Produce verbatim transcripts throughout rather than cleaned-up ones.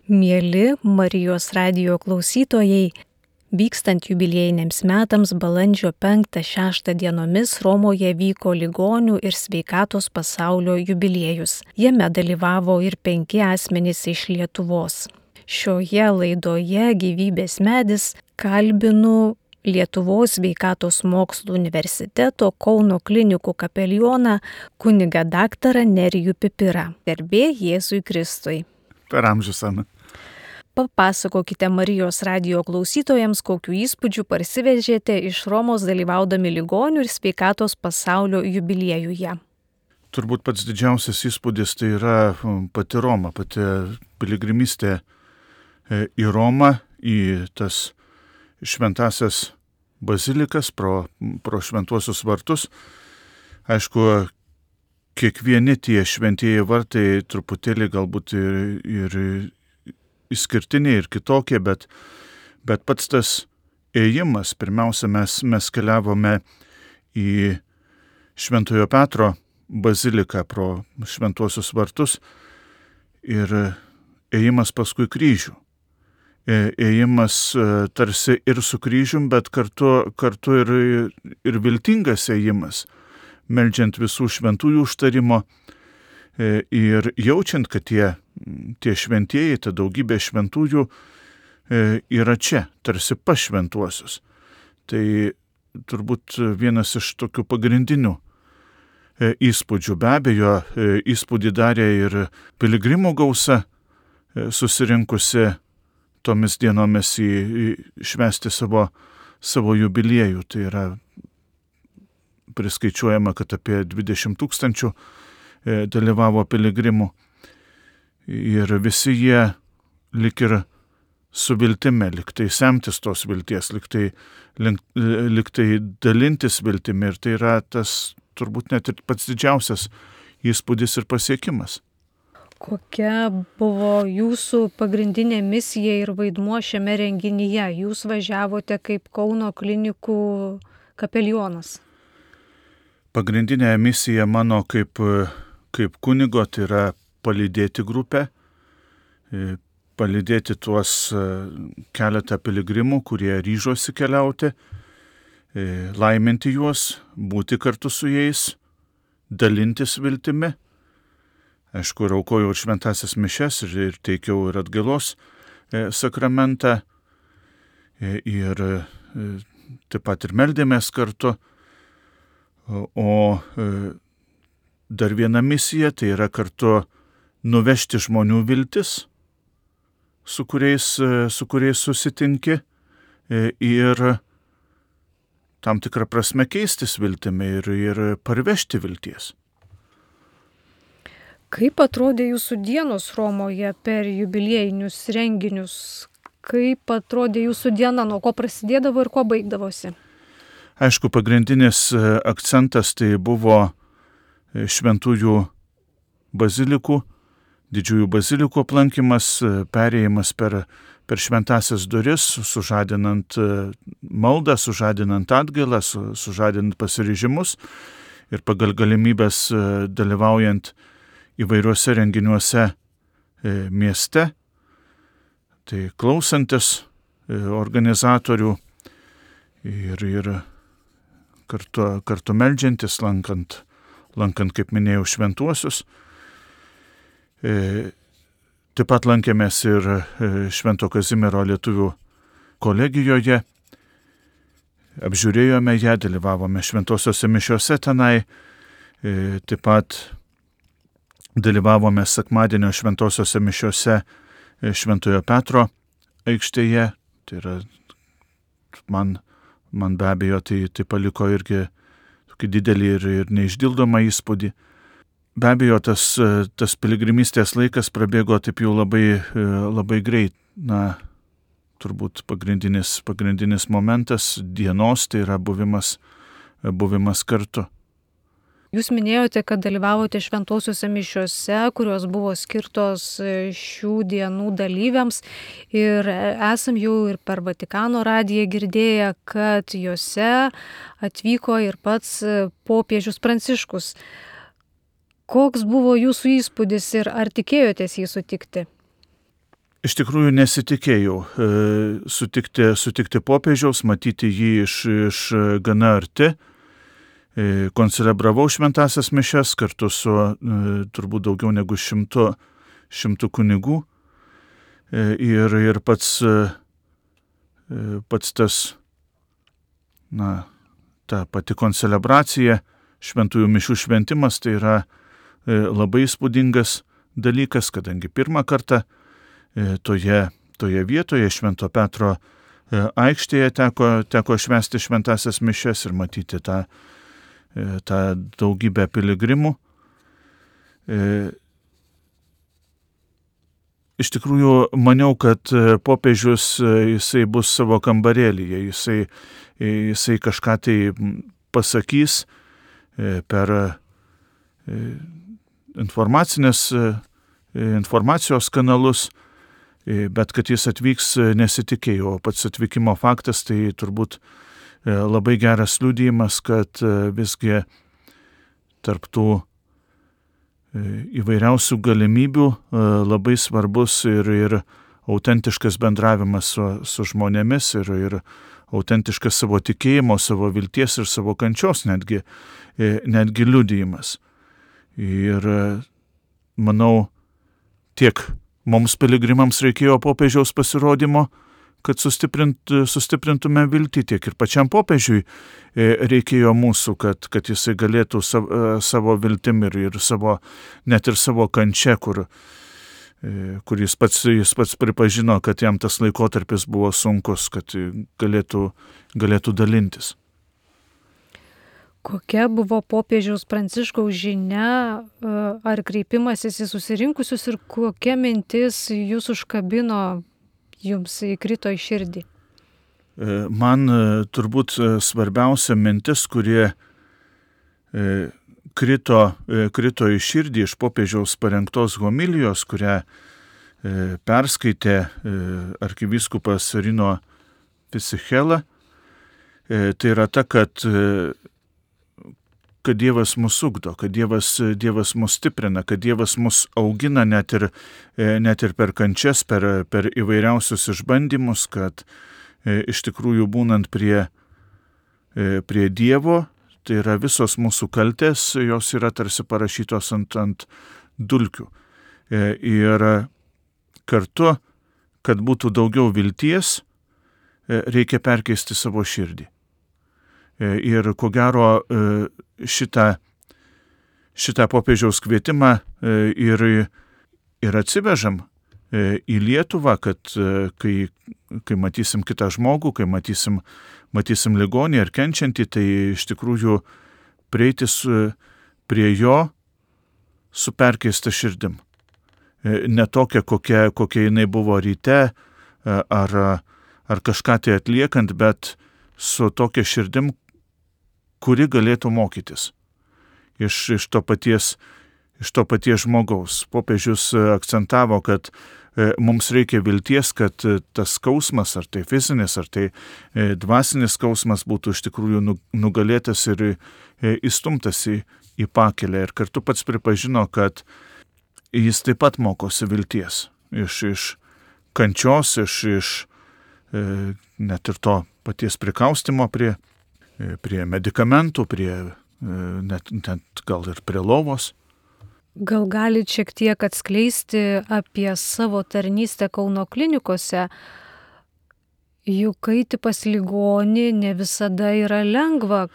Mieli Marijos radijo klausytojai, vykstant jubiliejiniams metams balandžio penktą šeštą dienomis Romoje vyko ligonių ir sveikatos pasaulio jubiliejus. Jame dalyvavo ir penki asmenys iš Lietuvos. Šioje laidoje Gyvybės medis kalbinu Lietuvos sveikatos mokslų universiteto Kauno klinikų kapelioną kunigą daktarą Nerijų Pipirą. Garbė Jėzui Kristui. Per amžius, Ana. Papasakokite Marijos radijo klausytojams, kokiu įspūdžiu parsivežėte iš Romos dalyvaudami ligonių ir sveikatos pasaulio jubiliejuje. Turbūt pats didžiausias įspūdis tai yra pati Roma, pati piligrimystė į Romą, į tas šventasias bazilikas, pro, pro šventuosius vartus. Aišku, kiekvieni tie šventieji vartai truputėlį galbūt ir, ir išskirtiniai ir kitokie, bet, bet pats tas ėjimas, pirmiausia, mes, mes keliavome į Šventojo Petro baziliką pro šventuosius vartus ir ėjimas paskui kryžių. Ėjimas tarsi ir su kryžium, bet kartu, kartu ir, ir viltingas ėjimas, meldžiant visų šventųjų užtarimo ir jaučiant, kad tie, tie šventieji, ta daugybė šventųjų yra čia, tarsi pas šventuosius. Tai turbūt vienas iš tokių pagrindinių įspūdžių. Be abejo, įspūdį darė ir piligrimų gausa susirinkusi tomis dienomis į, į švęsti savo, savo jubiliejų. Tai yra priskaičiuojama, kad apie dvidešimt tūkstančių dalyvavo piligrimų. Ir visi jie lik ir su viltimi, lik tai semtis tos vilties, lik tai, lik, lik tai dalintis viltimi. Ir tai yra tas turbūt net ir pats didžiausias įspūdis ir pasiekimas. Kokia buvo jūsų pagrindinė misija ir vaidmuo šiame renginyje? Jūs važiavote kaip Kauno klinikų kapelionas. Pagrindinė misija mano kaip, kaip kunigo tai yra palydėti grupę, palydėti tuos keletą piligrimų, kurie ryžosi keliauti, laiminti juos, būti kartu su jais, dalintis viltimi. Aišku, aukojau ir šventasias mišias ir, ir teikiau ir atgailos e, sakramentą e, ir e, taip pat ir meldėmės kartu. O, o e, dar viena misija tai yra kartu nuvežti žmonių viltis, su kuriais, e, su kuriais susitinki e, ir tam tikrą prasme keistis viltimi ir, ir parvežti vilties. Kaip atrodė jūsų dienos Romoje per jubiliejinius renginius? Kaip atrodė jūsų diena, nuo ko prasidėdavo ir kuo baigdavosi? Aišku, pagrindinis akcentas tai buvo šventųjų bazilikų, didžiųjų bazilikų aplankymas, perėjimas per, per šventasias duris, sužadinant maldą, sužadinant atgailą, su, sužadinant pasiryžimus ir pagal galimybės dalyvaujant įvairiuose renginiuose e, mieste, tai klausantis e, organizatorių ir, ir kartu, kartu meldžiantis, lankant, lankant, kaip minėjau, šventuosius. E, taip pat lankėmės ir e, Švento Kazimiero lietuvių kolegijoje, apžiūrėjome ją, dalyvavome šventosiose mišiose tenai, e, taip pat dalyvavome sekmadienio šventosiose mišiose Šventojo Petro aikštėje. Tai yra, man, man be abejo, tai, tai paliko irgi tokį didelį ir, ir neišdildomą įspūdį. Be abejo, tas, tas piligrimystės laikas prabėgo taip jau labai, labai greit. Na, turbūt pagrindinis, pagrindinis momentas dienos tai yra buvimas, buvimas kartu. Jūs minėjote, kad dalyvavote šventosiuose mišiuose, kurios buvo skirtos šių dienų dalyviams ir esam jau ir per Vatikano radiją girdėję, kad juose atvyko ir pats popiežius Pranciškus. Koks buvo jūsų įspūdis ir ar tikėjotės jį sutikti? iš tikrųjų nesitikėjau sutikti, sutikti popiežiaus, matyti jį iš, iš gana arti. Koncelebravau šventasias mišias kartu su turbūt daugiau negu šimtu, šimtu kunigų. Ir, ir pats, pats tas, na, ta pati koncelebracija, šventųjų mišių šventimas, tai yra labai įspūdingas dalykas, kadangi pirmą kartą toje, toje vietoje Švento Petro aikštėje teko, teko švęsti šventasias mišias ir matyti tą, tą daugybę piligrimų. Iš tikrųjų, maniau, kad popiežius jisai bus savo kambarėlyje, jisai, jisai kažką tai pasakys per informacinės, informacijos kanalus, bet kad jis atvyks nesitikėjau. Pats atvykimo faktas tai turbūt labai geras liudijimas, kad visgi tarp tų įvairiausių galimybių labai svarbus ir, ir autentiškas bendravimas su, su žmonėmis ir, ir autentiškas savo tikėjimo, savo vilties ir savo kančios netgi, netgi liudijimas. Ir manau, tiek mums piligrimams reikėjo popiežiaus pasirodymo, kad sustiprint, sustiprintume viltį, tiek ir pačiam popiežiui reikėjo mūsų, kad, kad jisai galėtų savo, savo viltim ir, ir savo, net ir savo kančia, kur, kur jis, pats, jis pats pripažino, kad jam tas laikotarpis buvo sunkus, kad galėtų, galėtų dalintis. Kokia buvo popiežiaus Pranciškaus žinia ar kreipimasis į susirinkusius ir kokia mintis jūs užkabino, jums įkrito į širdį? Man turbūt svarbiausia mintis, kurie krito, krito į širdį iš popiežiaus parengtos homilijos, kurią perskaitė arkivyskupas Rino Fisichella, tai yra ta, kad kad Dievas mus ugdo, kad Dievas, Dievas mus stiprina, kad Dievas mus augina net ir, net ir per kančias, per, per įvairiausius išbandymus, kad e, iš tikrųjų būnant prie, e, prie Dievo, tai yra visos mūsų kaltės, jos yra tarsi parašytos ant, ant dulkių. E, ir kartu, kad būtų daugiau vilties, e, reikia perkeisti savo širdį. Ir ko gero šitą, šitą popiežiaus kvietimą ir, ir atsivežam į Lietuvą, kad kai, kai matysim kitą žmogų, kai matysim, matysim ligonį ar kenčiantį, tai iš tikrųjų prieiti su, prie jo su perkeista širdim. Ne tokia, kokia, kokia jinai buvo ryte ar, ar kažką tai atliekant, bet su tokia širdim, kuri galėtų mokytis iš, iš, to paties, iš to paties žmogaus. Popiežius akcentavo, kad e, mums reikia vilties, kad e, tas skausmas, ar tai fizinis, ar tai e, dvasinis skausmas būtų iš tikrųjų nu, nugalėtas ir e, įstumtas į, į pakelę. Ir kartu pats pripažino, kad jis taip pat mokosi vilties iš, iš kančios, iš, iš e, net ir to paties prikaustimo prie prie medikamentų, prie net, net gal ir prie lovos. Gal galit šiek tiek atskleisti apie savo tarnystę Kauno klinikose? Juk eiti pas ligonį ne visada yra lengva.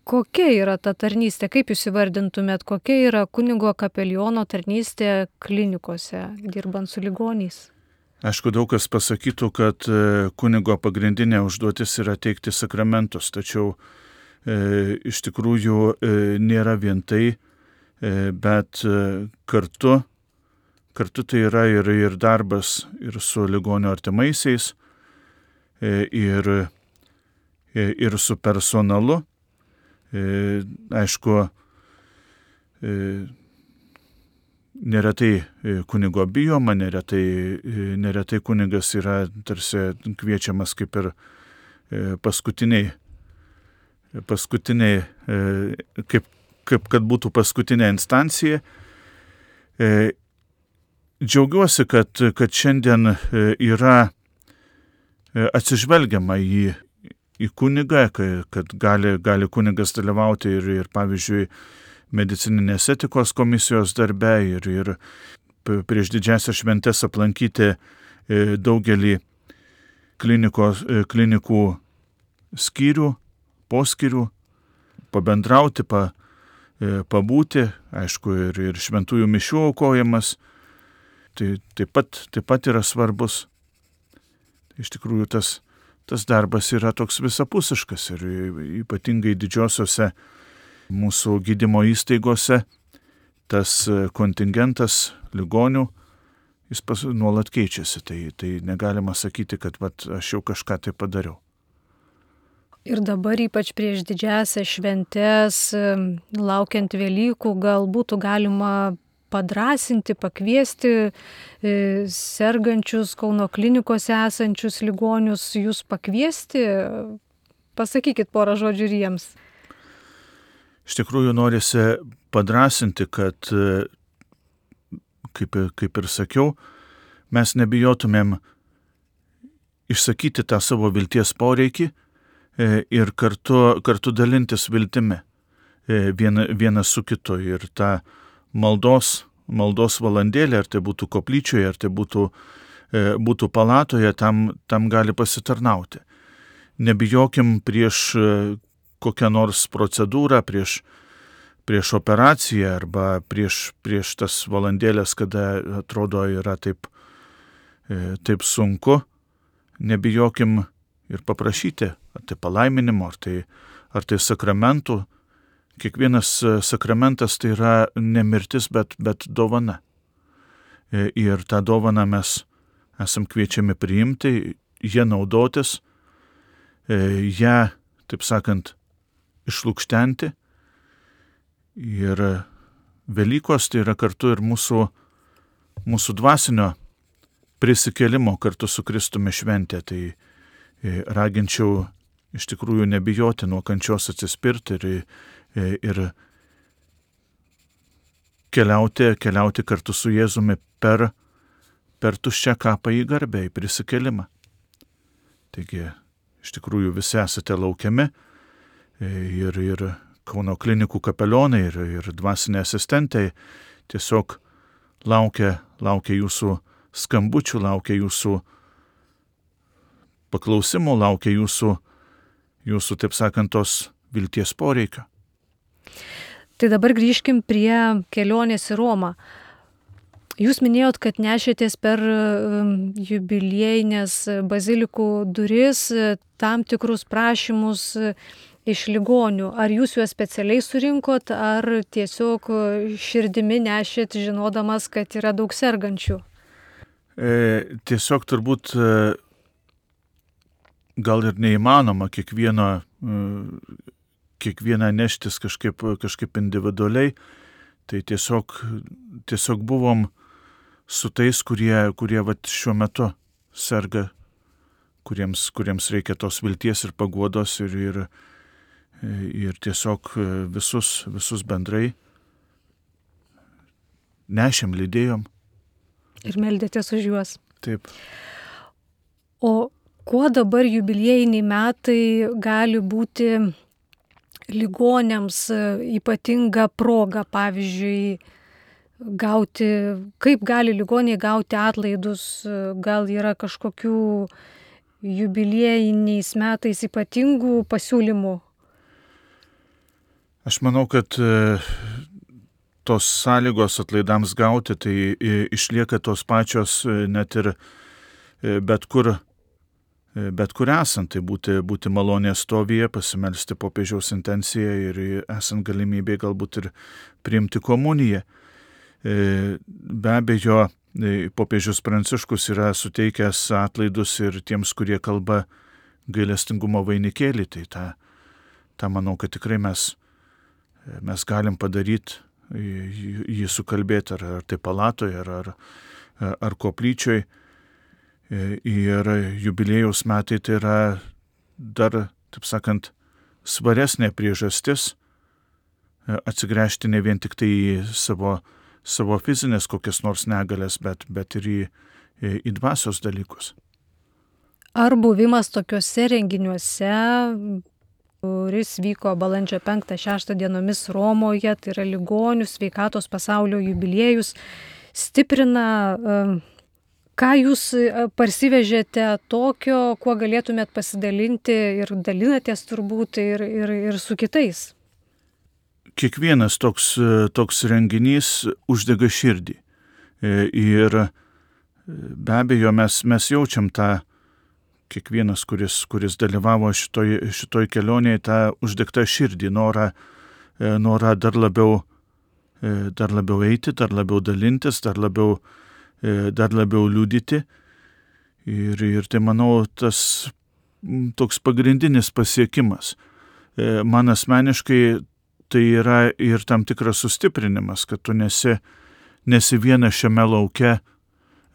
Kokia yra ta tarnystė? Kaip jūs įvardintumėt, kokia yra kunigo kapeliono tarnystė klinikose, dirbant su ligoniais? Aišku, daug kas pasakytų, kad kunigo pagrindinė užduotis yra teikti sakramentus, tačiau e, iš tikrųjų e, nėra vien tai, e, bet e, kartu, kartu tai yra ir, ir darbas ir su ligonio artimaisiais, e, ir, e, ir su personalu. E, aišku, e, Neretai kunigo bijoma, neretai, neretai kunigas yra tarsi kviečiamas kaip ir paskutiniai, paskutiniai kaip, kaip kad būtų paskutinė instancija. džiaugiuosi, kad, kad šiandien yra atsižvelgiama į, į kunigą, kad gali, gali kunigas dalyvauti ir, ir pavyzdžiui, medicininės etikos komisijos darbe ir, ir prieš didžiasias šventes aplankyti daugelį klinikos, klinikų skyrių, poskyrių, pabendrauti, pa, pabūti, aišku, ir, ir šventųjų mišių aukojimas, tai taip pat, taip pat yra svarbus. Iš tikrųjų, tas, tas darbas yra toks visapusiškas ir ypatingai didžiosiose mūsų gydymo įstaigose tas kontingentas ligonių, jis pas, nuolat keičiasi, tai, tai negalima sakyti, kad vat, aš jau kažką tai padariau. Ir dabar ypač prieš didžiąsias šventes, laukiant Velykų, gal būtų galima padrasinti, pakviesti e, sergančius Kauno klinikose esančius ligonius, jūs pakviesti, pasakykit porą žodžių ir jiems. Iš tikrųjų norisi padrasinti, kad, kaip, kaip ir sakiau, mes nebijotumėm išsakyti tą savo vilties poreikį e, ir kartu, kartu dalintis viltimi e, viena, vienas su kitu ir tą maldos, maldos valandėlė, ar tai būtų koplyčioje, ar tai būtų, e, būtų palatoje, tam, tam gali pasitarnauti. Nebijokim prieš kokią nors procedūrą, prieš, prieš operaciją arba prieš, prieš tas valandėlės, kada atrodo yra taip, e, taip sunku. Nebijokim ir paprašyti, ar tai palaiminimo, ar tai, ar tai sakramentų. Kiekvienas sakramentas tai yra ne mirtis, bet, bet dovana. Ir tą dovaną mes esam kviečiami priimti, ją naudotis, ją, taip sakant, išlukštenti. Ir Velykos tai yra kartu ir mūsų, mūsų dvasinio prisikėlimo kartu su Kristumi šventė. Tai raginčiau iš tikrųjų nebijoti nuo kančios atsispirti ir ir keliauti, keliauti kartu su Jėzumi per, per tuščią kapą į garbę, į prisikėlimą. Taigi, iš tikrųjų visi esate laukiami ir, ir Kauno klinikų kapelionai, ir, ir dvasiniai asistentai tiesiog laukia, laukia jūsų skambučių, laukia jūsų paklausimų, laukia jūsų, jūsų, taip sakant, tos vilties poreikio. Tai dabar grįžkim prie kelionės į Romą. Jūs minėjot, kad nešėtės per jubiliejinės bazilikų duris tam tikrus prašymus iš ligonių. Ar jūs juos specialiai surinkot, ar tiesiog širdimi nešėt, žinodamas, kad yra daug sergančių? E, tiesiog turbūt e, gal ir neįmanoma kiekvieno e, kiekvieną neštis kažkaip, kažkaip individualiai, tai tiesiog, tiesiog buvom su tais, kurie, kurie vat, šiuo metu serga, kuriems, kuriems reikia tos vilties ir paguodos ir, ir, ir tiesiog visus, visus bendrai nešėm, lydėjom. Ir meldėtės už juos. Taip. O kuo dabar jubiliejiniai metai gali būti ligonėms ypatinga proga, pavyzdžiui, gauti, kaip gali ligoniai gauti atlaidus, gal yra kažkokių jubiliejiniais metais ypatingų pasiūlymų? Aš manau, kad tos sąlygos atlaidams gauti, tai išlieka tos pačios net ir bet kur Bet kur esant, tai būti, būti malonės stovyje, pasimelsti popiežiaus intenciją ir esant galimybėj galbūt ir priimti komuniją. Be abejo, popiežius Pranciškus yra suteikęs atlaidus ir tiems, kurie kalba gailestingumo vainikėlį. Tai tą, tą manau, kad tikrai mes, mes galim padaryti, jį sukalbėti ar, ar tai palatoje, ar, ar, ar koplyčioj. Ir jubiliejaus metai tai yra dar, taip sakant, svaresnė priežastis atsigręžti ne vien tik tai į savo savo fizinės kokias nors negalės, bet, bet ir į, į dvasios dalykus. Ar buvimas tokiuose renginiuose, kuris vyko balandžio penktą šeštą dienomis Romoje, tai yra ligonių sveikatos pasaulio jubiliejus, stiprina, ką jūs parsivežėte tokio, kuo galėtumėt pasidalinti ir dalinatės turbūt ir, ir, ir su kitais? Kiekvienas toks, toks renginys uždega širdį. Ir be abejo mes, mes jaučiam tą, kiekvienas, kuris, kuris dalyvavo šitoj, šitoj kelionėje, tą uždegtą širdį, norą, norą dar, labiau, dar labiau eiti, dar labiau dalintis, dar labiau, dar labiau liudyti. Ir, ir tai, manau, tas toks pagrindinis pasiekimas. Man asmeniškai tai yra ir tam tikras sustiprinimas, kad tu nesi, nesi vienas šiame lauke,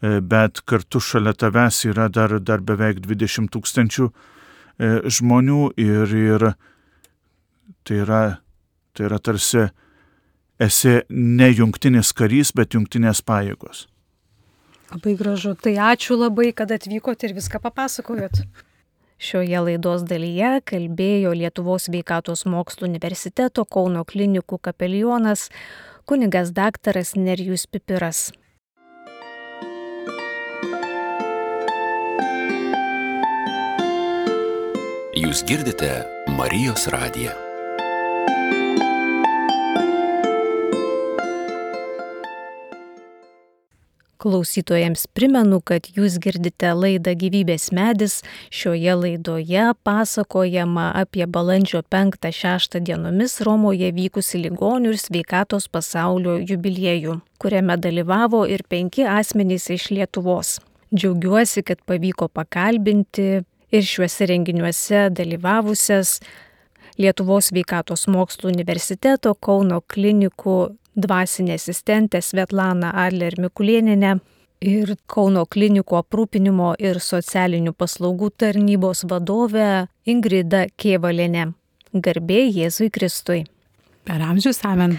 bet kartu šalia tavęs yra dar, dar beveik dvidešimt tūkstančių žmonių ir, ir tai, yra, tai yra tarsi esi ne jungtinis karys, bet jungtinės pajėgos. Labai gražu. Tai ačiū labai, kad atvykote ir viską papasakojot. Šioje laidos dalyje kalbėjo Lietuvos sveikatos mokslų universiteto Kauno klinikų kapelionas kunigas daktaras Nerijus Pipiras. Jūs girdite Marijos radiją. Klausytojams primenu, kad jūs girdite laidą Gyvybės medis. Šioje laidoje pasakojama apie balandžio penktą šeštą dienomis Romoje vykusi ligonių ir sveikatos pasaulio jubiliejų, kuriame dalyvavo ir penki asmenys iš Lietuvos. Džiaugiuosi, kad pavyko pakalbinti ir šiuose renginiuose dalyvavusias Lietuvos sveikatos mokslų universiteto Kauno klinikų dvasinė asistentė Svetlana Adler-Mikulėnienė ir Kauno klinikų aprūpinimo ir socialinių paslaugų tarnybos vadovė Ingrida Kėvalienė. Garbė Jėzui Kristui. Per amžius amen.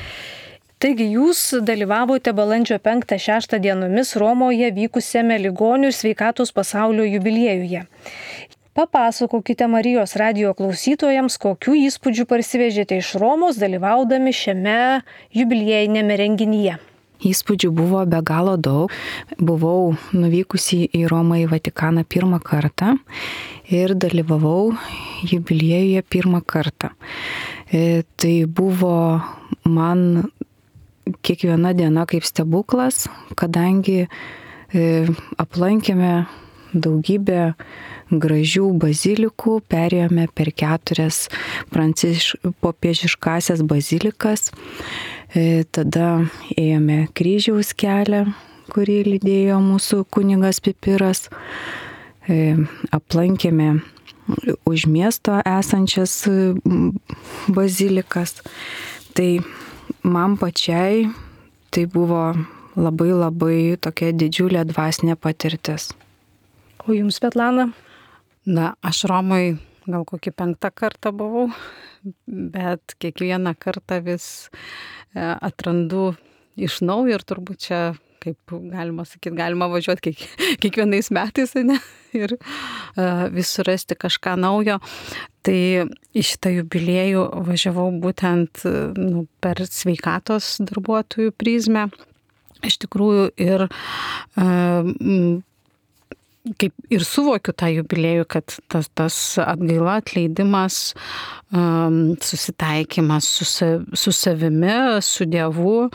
Taigi jūs dalyvavote balandžio penktą šeštą dienomis Romoje vykusiame ligonių ir sveikatos pasaulio jubiliejuje. Papasakokite Marijos radijo klausytojams, kokių įspūdžių parsivežėte iš Romos dalyvaudami šiame jubiliejinėme renginyje. Įspūdžių buvo be galo daug. Buvau nuvykusi į Romą į Vatikaną pirmą kartą ir dalyvavau jubiliejuje pirmą kartą. E, tai buvo man kiekviena diena kaip stebuklas, kadangi e, aplankėme daugybę gražių bazilikų, perėjome per keturias pranciš, popiežiškasias bazilikas, e, tada ėjome kryžiaus kelią, kurį lydėjo mūsų kunigas Pipiras, e, aplankėme už miesto esančias bazilikas. Tai man pačiai tai buvo labai labai tokia didžiulė dvasinė patirtis. O jums, Svetlana? Na, aš Romoj gal kokį penktą kartą buvau, bet kiekvieną kartą vis atrandu iš naujo ir turbūt čia, kaip galima sakyti, galima važiuoti kiek, kiekvienais metais, ne? Ir uh, vis surasti kažką naujo. Tai į šitą jubiliejų važiavau būtent nu, per sveikatos darbuotojų prizmę. Iš tikrųjų ir uh, kaip ir suvokiu tą jubiliejų, kad tas, tas atgaila, atleidimas, um, susitaikymas su, su savimi, su Dievu,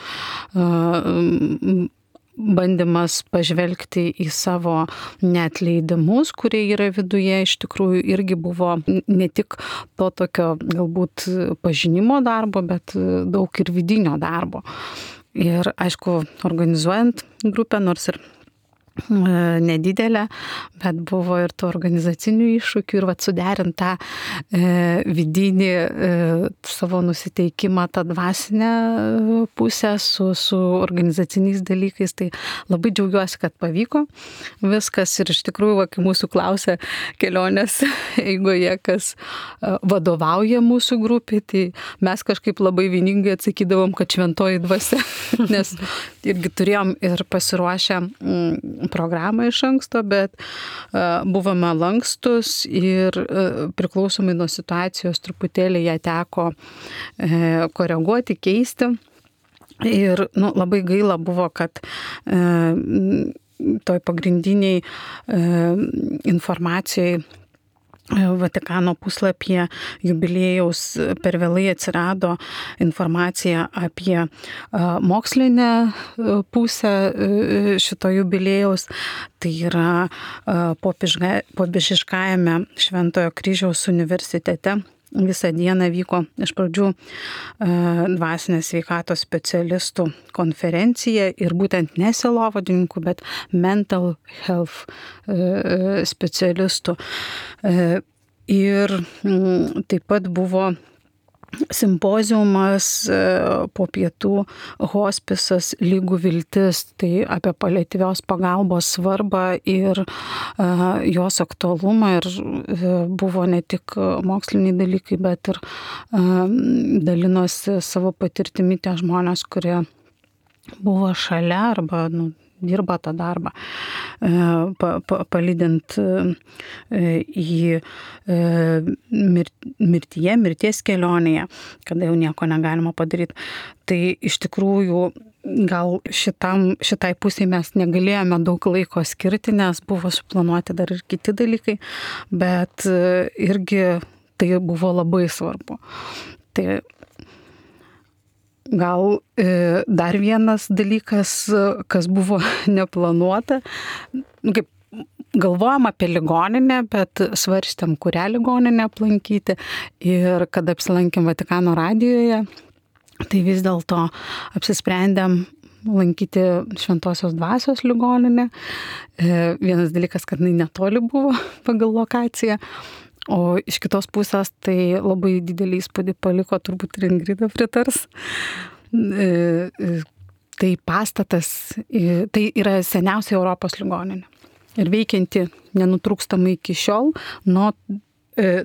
um, bandymas pažvelgti į savo neatleidimus, kurie yra viduje, iš tikrųjų irgi buvo ne tik to tokio galbūt pažinimo darbo, bet daug ir vidinio darbo. Ir aišku, organizuojant grupę, nors ir nedidelė, bet buvo ir tų organizacinių iššūkių ir vat suderint tą e, vidinį e, savo nusiteikimą, tą dvasinę pusę su, su organizaciniais dalykais. Tai labai džiaugiuosi, kad pavyko viskas ir iš tikrųjų, va, kai mūsų klausė kelionės eigoje, kas vadovauja mūsų grupė, tai mes kažkaip labai vieningai atsakydavom, kad šventoji dvasia, nes irgi turėjom ir pasiruošę programą iš anksto, bet uh, buvome lankstus ir uh, priklausomai nuo situacijos truputėlį ją teko uh, koreguoti, keisti. Ir nu, labai gaila buvo, kad uh, toj pagrindiniai uh, informacijai Vatikano puslapyje jubiliejaus per vėlai atsirado informacija apie mokslinę pusę šito jubiliejaus. Tai yra Popiežiškajame Šventojo Kryžiaus universitete. Visą dieną vyko iš pradžių dvasinės sveikatos specialistų konferencija ir būtent ne sielovadininkų, bet mental health specialistų. Ir taip pat buvo simpoziumas po pietų hospisas lygų viltis, tai apie paliatyvios pagalbos svarbą ir uh, jos aktualumą ir uh, buvo ne tik moksliniai dalykai, bet ir uh, dalinosi savo patirtimi tie žmonės, kurie buvo šalia arba nu, dirba tą darbą, pa, pa, palydint į mirtyje, mirties kelionėje, kada jau nieko negalima padaryti. Tai iš tikrųjų gal šitam, šitai pusiai mes negalėjome daug laiko skirti, nes buvo suplanuoti dar ir kiti dalykai, bet irgi tai buvo labai svarbu. Tai gal e, dar vienas dalykas, kas buvo neplanuota, nu, kaip galvojam apie ligoninę, bet svarstėm, kurią ligoninę aplankyti ir kad apsilankėm Vatikano radijoje, tai vis dėlto apsisprendėm lankyti Šventosios dvasios ligoninę. E, vienas dalykas, kad jinai netoli buvo pagal lokaciją. O iš kitos pusės tai labai didelį įspūdį paliko, turbūt ir Ingrida pritars. Tai pastatas, tai yra seniausia Europos ligoninė. Ir veikianti nenutrūkstamai iki šiol, nuo,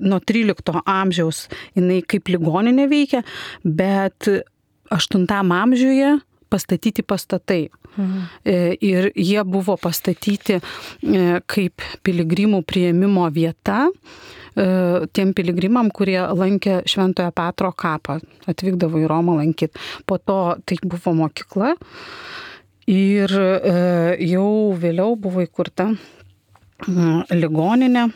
nuo trylikto amžiaus jinai kaip ligoninė veikia, bet aštuntam amžiuje pastatyti pastatai. Mhm. Ir jie buvo pastatyti kaip piligrimų priėmimo vieta tiem piligrimam, kurie lankė Šventojo Petro kapą, atvykdavo į Romą lankyti. Po to tai buvo mokykla ir jau vėliau buvo įkurta ligoninė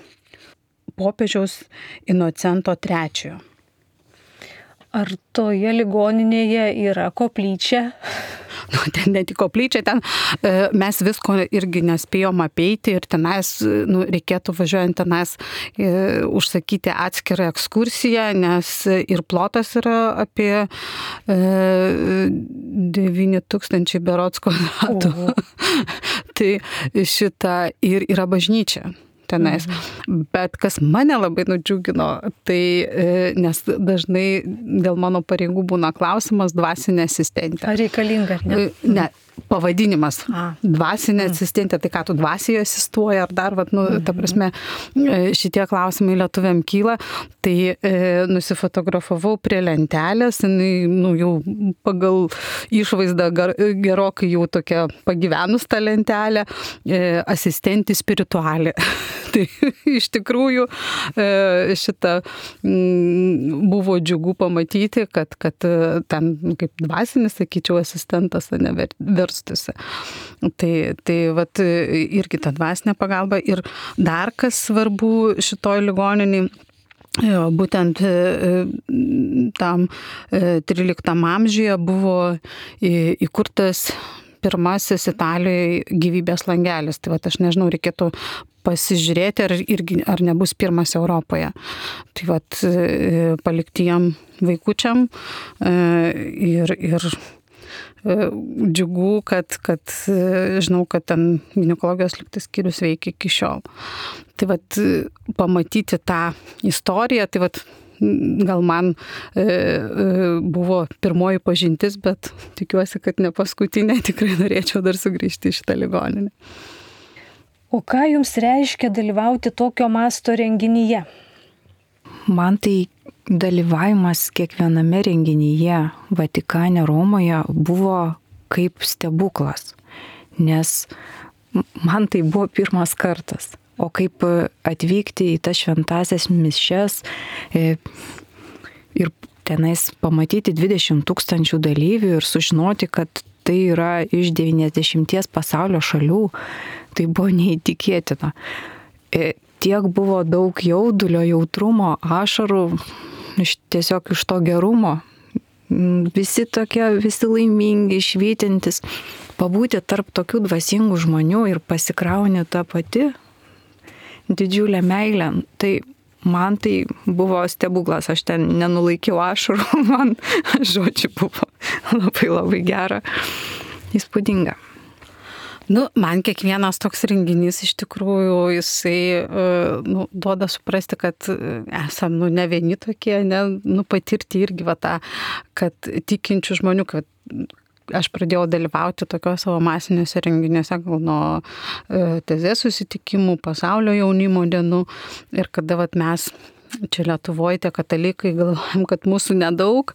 popiežiaus Inocento trečiojo. Ar toje ligoninėje yra koplyčia? Nu, ten ne tik koplyčia, ten e, mes visko irgi nespėjom apeiti ir tenais, nu, reikėtų važiuojant tenais e, užsakyti atskirą ekskursiją, nes ir plotas yra apie e, devyni tūkstančiai berods kvadratų. Tai šita ir yra bažnyčia tenais. Mhm. Bet kas mane labai nudžiugino, tai nes dažnai dėl mano pareigų būna klausimas dvasinė asistentė. Ar reikalinga? Ne, ne pavadinimas. A. Dvasinė mm. asistentė, tai ką tu dvasijoje asistuoja, ar dar, vat, nu, mm-hmm. ta prasme, šitie klausimai lietuviam kyla, tai e, nusifotografavau prie lentelės, jinai, nu, jau pagal išvaizdą gar, gerokai jau tokia pagyvenus tą lentelę, e, asistentė spiritualė. Tai iš tikrųjų e, šitą m, buvo džiugu pamatyti, kad, kad ten kaip dvasinis, sakyčiau, asistentas neverstusi. Tai, tai vat, irgi ta dvasinė pagalba. Ir dar kas svarbu šitoj ligoniniai, būtent tam tryliktam amžiuje buvo įkurtas pirmasis Italijoje gyvybės langelis. Tai vat, aš nežinau, reikėtų pasižiūrėti, ar, irgi, ar nebus pirmas Europoje. Tai vat, paliktiem vaikučiam ir, ir džiugu, kad, kad žinau, kad ten ginekologijos lygtis skyrius veikia iki šiol. Tai vat pamatyti tą istoriją, tai vat gal man e, e, buvo pirmoji pažintis, bet tikiuosi, kad ne paskutinė, tikrai norėčiau dar sugrįžti į šitą ligoninę. O ką jums reiškia dalyvauti tokio masto renginyje? Man tai dalyvavimas kiekviename renginyje Vatikane, Romoje buvo kaip stebuklas, nes man tai buvo pirmas kartas. O kaip atvykti į tas šventasias mišias ir tenais pamatyti dvidešimt tūkstančių dalyvių ir sužinoti, kad tai yra iš devyniasdešimties pasaulio šalių, tai buvo neįtikėtina. Tiek buvo daug jaudulio, jautrumo, ašarų, tiesiog iš to gerumo. Visi tokie, visi laimingi, švytintis. Pabūti tarp tokių dvasingų žmonių ir pasikrauni tą pati didžiulę meilę. Tai man tai buvo stebuklas, aš ten nenulaikiau ašarų, man žodžiu buvo labai labai gera, įspūdinga. Nu, man kiekvienas toks renginys iš tikrųjų jisai nu, duoda suprasti, kad esam nu, ne vieni tokie, ne, nu, patirti irgi va tą, kad tikinčių žmonių, kad aš pradėjau dalyvauti tokiuose savo masiniuose renginiuose gal nuo tezės susitikimų, pasaulio jaunimo dienų ir kada vat, mes čia Lietuvoje tie katalikai galvojam, kad mūsų nedaug,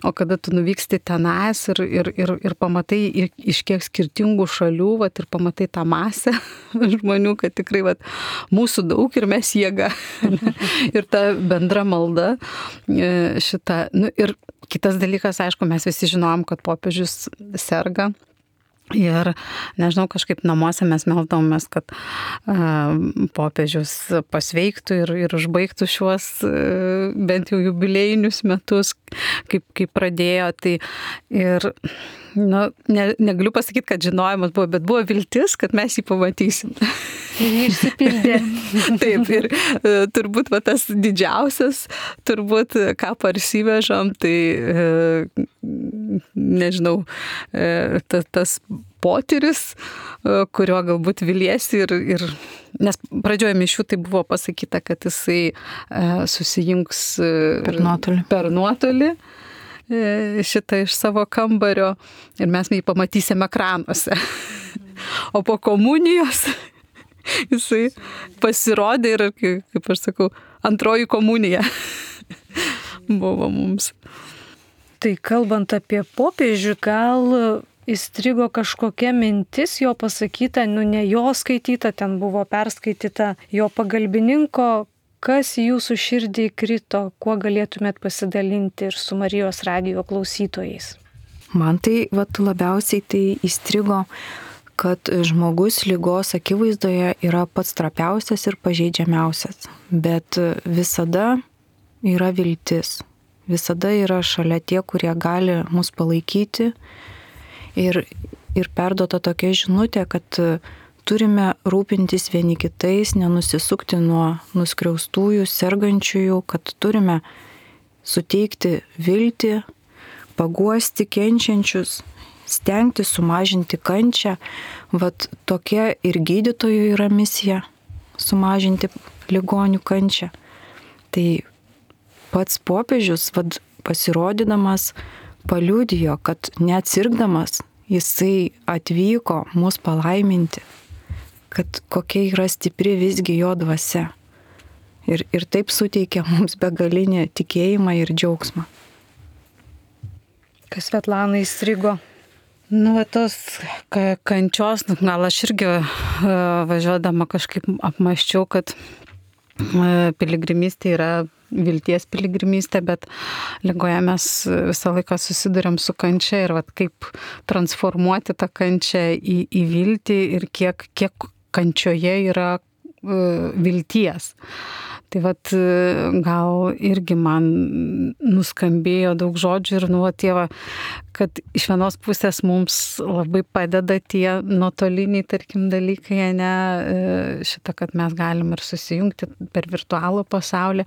o kada tu nuvyksti tenais ir, ir, ir, ir pamatai iš kiek skirtingų šalių vat, ir pamatai tą masę žmonių, kad tikrai vat, mūsų daug ir mes jėga. Ir ta bendra malda šita. Nu, ir kitas dalykas, aišku, mes visi žinom, kad popiežius serga. Ir, nežinau, kažkaip namuose mes meldavomės, kad uh, popiežius pasveiktų ir, ir užbaigtų šiuos uh, bent jau jubiliejinius metus, kaip, kaip pradėjo. Tai ir, nu, ne, negaliu pasakyti, kad žinojimas buvo, bet buvo viltis, kad mes jį pamatysim. Ir išsipildė. Taip, ir uh, turbūt va, tas didžiausias, turbūt ką parsivežam, tai uh, nežinau, uh, tas, tas potyris, kurio galbūt viliesi ir, ir nes pradžioje mišių tai buvo pasakyta, kad jisai e, susijungs per nuotolį. per nuotolį e, šitą iš savo kambario ir mes jį pamatysim ekranuose. O po komunijos jisai pasirodė ir, kaip aš sakau, antroji komunija buvo mums. Tai kalbant apie popiežių, gal įstrigo kažkokia mintis jo pasakyta, nu ne jo skaityta, ten buvo perskaityta jo pagalbininko, kas jūsų širdį krito, kuo galėtumėt pasidalinti ir su Marijos radijo klausytojais. Man tai vat, labiausiai tai įstrigo, kad žmogus ligos akivaizdoje yra pats trapiausias ir pažeidžiamiausias, bet visada yra viltis, visada yra šalia tie, kurie gali mus palaikyti. Ir, ir perduota tokia žinutė, kad turime rūpintis vieni kitais, nenusisukti nuo nuskriaustųjų, sergančiųjų, kad turime suteikti viltį, paguosti kenčiančius, stengti sumažinti kančią. Vat tokia ir gydytojų yra misija - sumažinti ligonių kančią. Tai pats popiežius, vat, pasirodydamas, paliudijo, kad neatsirgdamas jisai atvyko mus palaiminti, kad kokia yra stipri visgi jo dvasia. Ir, ir taip suteikia mums begalinį tikėjimą ir džiaugsmą. Kas Svetlana įstrigo? Nu, tos kančios, gal aš irgi važiuodama kažkaip apmąsčiau, kad piligrimystė yra vilties piligrimystė, bet ligoje mes visą laiką susiduriam su kančia ir vat, kaip transformuoti tą kančią į, į viltį ir kiek, kiek kančioje yra uh, vilties. Tai vat, gal irgi man nuskambėjo daug žodžių ir nu, tėva, kad iš vienos pusės mums labai padeda tie nuotoliniai, tarkim, dalykai, ne, šitą, kad mes galim ir susijungti per virtualų pasaulį,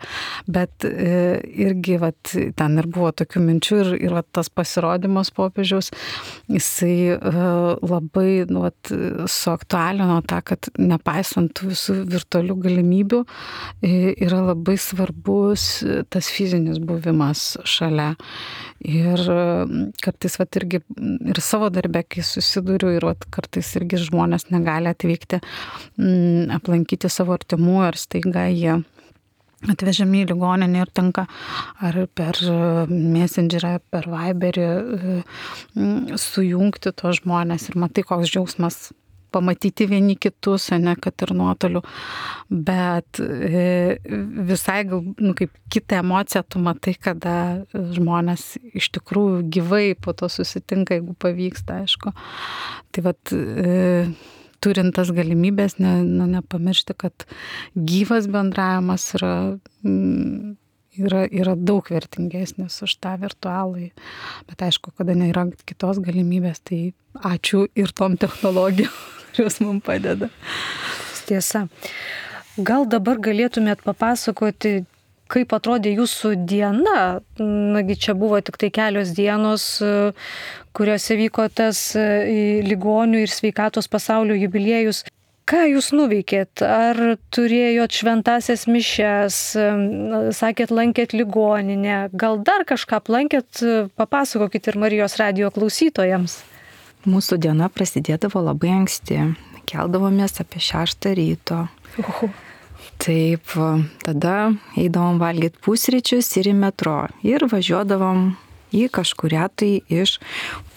bet irgi vat, ten ir buvo tokių minčių ir, ir vat, tas pasirodymas popiežiaus, jisai labai nu, vat, suaktualino tą, kad nepaisant tų visų virtualių galimybių, yra labai svarbus tas fizinis buvimas šalia. Ir kartais vat, irgi ir savo darbę, kai susiduriu, ir vat, kartais irgi žmonės negali atvykti m, aplankyti savo artimų, ar staiga jie atvežami į ligoninę ir tenka ar per Messengerą, per Viberį sujungti tos žmonės ir matai, koks džiaugsmas pamatyti vieni kitus, ne, kad ir nuotoliu, bet visai gal, nu, kaip kitą emociją tu matai, kada žmonės iš tikrųjų gyvai po to susitinka, jeigu pavyksta, aišku. Tai vat, turint tas galimybės, ne, nu, nepamiršti, kad gyvas bendravimas yra, yra, yra daug vertingesnis už tą virtualai. Bet aišku, kada nėra kitos galimybės, tai ačiū ir tom technologijom, kurios mums padeda. Tiesa. Gal dabar galėtumėt papasakoti, kaip atrodė jūsų diena? Nagi čia buvo tik tai kelios dienos, kuriuose vyko tas ligonių ir sveikatos pasaulio jubiliejus. Ką jūs nuveikėt? Ar turėjot šventasias mišias? Sakėt, lankėt ligoninę? Gal dar kažką aplankėt? Papasakokit ir Marijos radijo klausytojams. Mūsų diena prasidėdavo labai anksti. Keldavomės apie šeštą ryto. Uhu. Taip, tada eidavom valgyti pusryčius ir į metro. Ir važiuodavom į kažkurią tai iš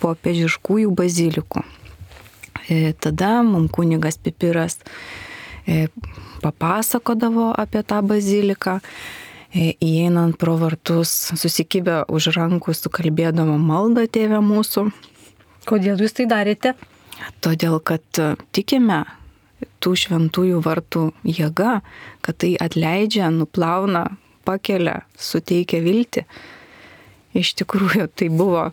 popiežiškųjų bazilikų. Tada mums kunigas Pipiras papasakodavo apie tą baziliką. Įeinant pro vartus, susikibę už rankų, sukalbėdavo maldą Tėve mūsų. Kodėl jūs tai darėte? Todėl, kad tikime tų šventųjų vartų jėga, kad tai atleidžia, nuplauna, pakelia, suteikia viltį. Iš tikrųjų, tai buvo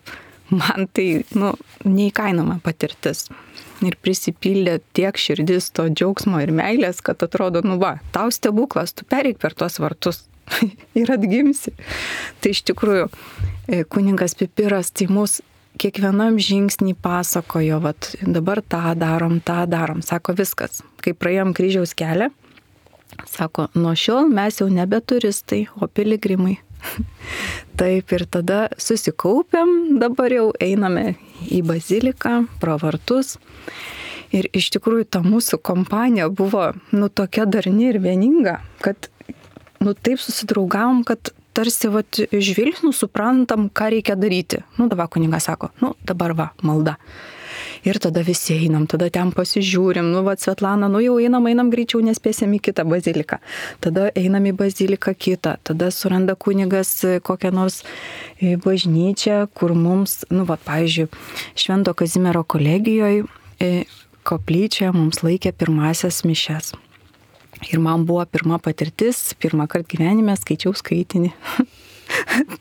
man tai nu, neįkainoma patirtis. Ir prisipildė tiek širdis to džiaugsmo ir meilės, kad atrodo, nu va, tau stebuklas, tu pereik per tuos vartus ir atgimsi. Tai iš tikrųjų, kunigas Pipiras tai mus kiekvienam žingsnį pasakojo, vat, dabar tą darom, tą darom. Sako, viskas. Kai praėjom kryžiaus kelią, sako, nuo šiol mes jau nebe turistai, o piligrimai. Taip, ir tada susikaupiam, dabar jau einame į baziliką, pro vartus. Ir iš tikrųjų ta mūsų kompanija buvo nu, tokia darni ir vieninga, kad nu, taip susidraugavom, kad tarsi vat, žvilgsnių suprantam, ką reikia daryti. Nu, dabar kunigas sako, nu, dabar va, malda. Ir tada visi einam, tada ten pasižiūrim, nu, va, Svetlana, nu, jau einam, einam greičiau, nespėsim į kitą baziliką. Tada einam į baziliką kitą, tada suranda kunigas kokią nors bažnyčią, kur mums, nu, va, pavyzdžiui, Švento Kazimiero kolegijoje koplyčioje mums laikė pirmasias mišias. Ir man buvo pirma patirtis, pirmą kartą gyvenime skaičiau skaitinį.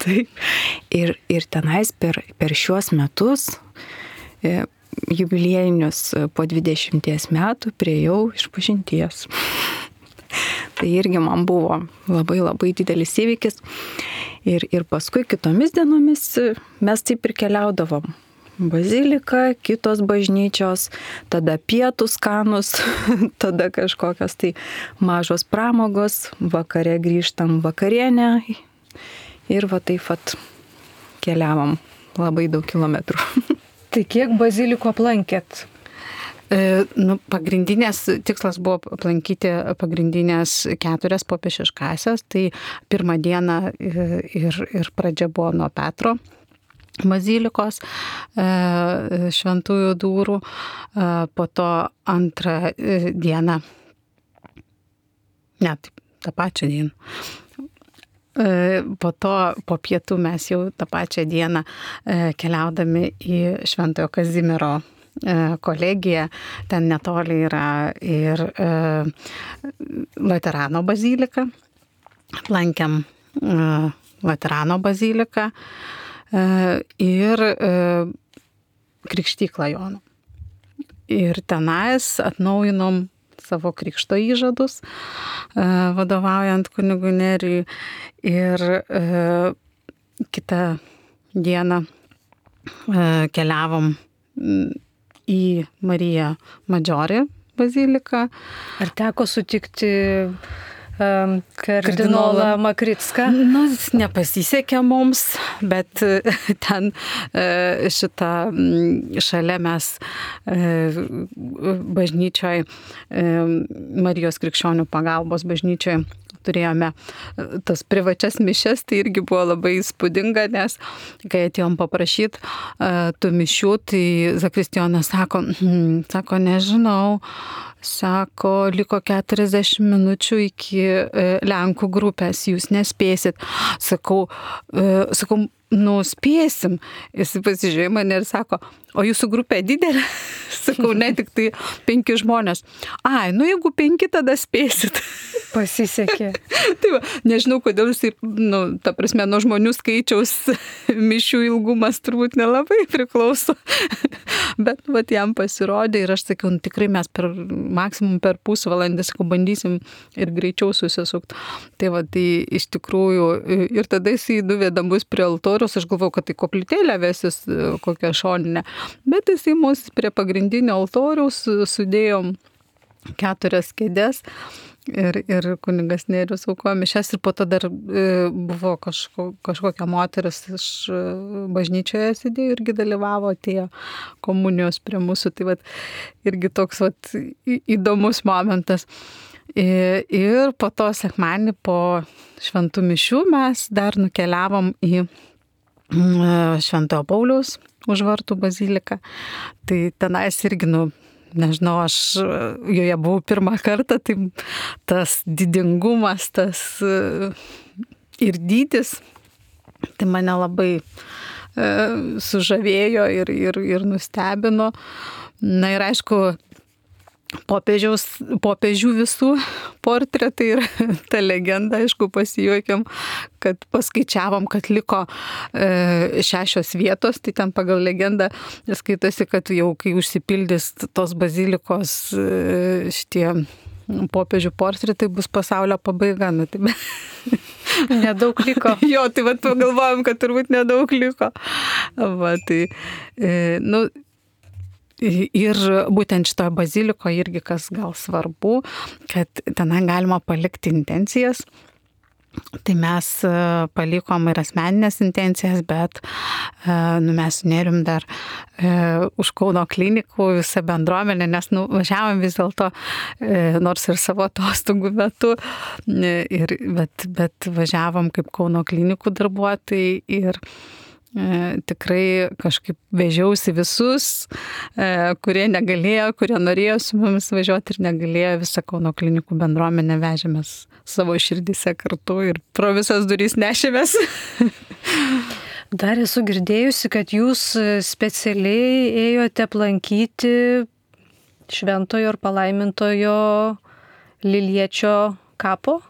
Taip. Ir, ir tenais per, per šiuos metus, e, jubiliejinius po dvidešimties metų, priėjau išpažinties. Tai irgi man buvo labai labai didelis įvykis. Ir, ir paskui kitomis dienomis mes taip ir keliaudavom. Bazilika, kitos bažnyčios, tada pietų skanus, tada kažkokios tai mažos pramogos, vakare grįžtam vakarienę ir va taip pat keliavom labai daug kilometrų. Tai kiek bazilikų aplankėt? E, nu, pagrindinės tikslas buvo aplankyti pagrindinės keturias popiežiškąsias, tai pirmą dieną ir, ir pradžia buvo nuo Petro bazilikos, šventųjų durų, po to antrą dieną, ne, taip, tą pačią dieną. Po to, po pietų mes jau tą pačią dieną keliaudami į Šventojo Kazimiero kolegiją, ten netoli yra ir Laterano bazilika, aplankėm Laterano baziliką. ir krikštyklą Jono. Ir tenais atnaujinom savo krikšto įžadus, vadovaujant kunigui Nerijui. Ir kitą dieną keliavom į Mariją Maggiore baziliką. Ar teko sutikti um, kardinolą Makricką? Nu, nepasisekė mums, bet ten šitą šalia mes bažnyčioje, Marijos krikščionių pagalbos bažnyčioje turėjome tas privačias mišias, tai irgi buvo labai įspūdinga, nes kai atėjom paprašyti uh, tų mišių, tai zakristijonas sako, hm, sako, nežinau, sako, liko keturiasdešimt minučių iki uh, Lenkų grupės, jūs nespėsit. Sakau, uh, sakau, nu, spėsim. Jis pasižiūrėjo mane ir sako, o jūsų grupė didelė? Sakau, ne, tik tai penki žmonės. Ai, nu jeigu penki, tada spėsit. Pasisekė. Tai va, nežinau, kodėl jisai, nu, ta prasme, nuo žmonių skaičiaus mišių ilgumas turbūt nelabai priklauso. Bet, va, jam pasirodė ir aš sakiau, nu, tikrai mes per maksimum per pusvalandį, sakau, bandysim ir greičiau susisukti. Tai va, tai iš tikrųjų, ir tada jisai nuvedė mus prie altoriaus, aš galvojau, kad tai koplytėlė vesis kokią šoninę. Bet jisai mus prie pagrindinio altoriaus sudėjom keturias kėdės. Ir, ir kunigas Nerijus aukojo mišias ir po to dar buvo kažko, kažkokia moteris iš bažnyčioje sėdėjo irgi dalyvavo, atėjo komunijos prie mūsų. Tai vat, irgi toks vat, įdomus momentas. Ir po to sekmadienį po šventų mišių mes dar nukeliavom į Šventojo Pauliaus Užvartų baziliką. Tai tenais irgi, nu, nežinau, aš joje buvau pirmą kartą, tai tas didingumas, tas ir dydis, tai mane labai sužavėjo ir, ir, ir nustebino. Na ir aišku, popiežiaus, popiežių visų portretai ir ta legenda, aišku, pasijuokėm, kad paskaičiavom, kad liko e, šešios vietos, tai ten pagal legendą skaitosi, kad jau kai užsipildys tos bazilikos e, šitie popiežių portretai, bus pasaulio pabaiga. Nu, tai be... Nedaug liko. Jo, tai vat pagalvojom, kad turbūt nedaug liko. Va, tai, e, nu, ir būtent šitoje bazilikoje irgi kas gal svarbu, kad ten galima palikti intencijas. Tai mes palikom ir asmeninės intencijas, bet nu, mes nerim dar e, už Kauno klinikų visą bendruomenę, nes nu, važiavom vis dėlto, e, nors ir savo atostogų metu, e, ir, bet, bet važiavom kaip Kauno klinikų darbuotojai ir E, tikrai kažkaip vežiausi visus, e, kurie negalėjo, kurie norėjo su mumis važiuoti ir negalėjo, visą Kauno klinikų bendruomenę vežėmės savo širdise kartu ir pro visas durys nešėmės. Dar esu girdėjusi, kad jūs specialiai ėjote aplankyti šventojo ir palaimintojo Liliečio kapo.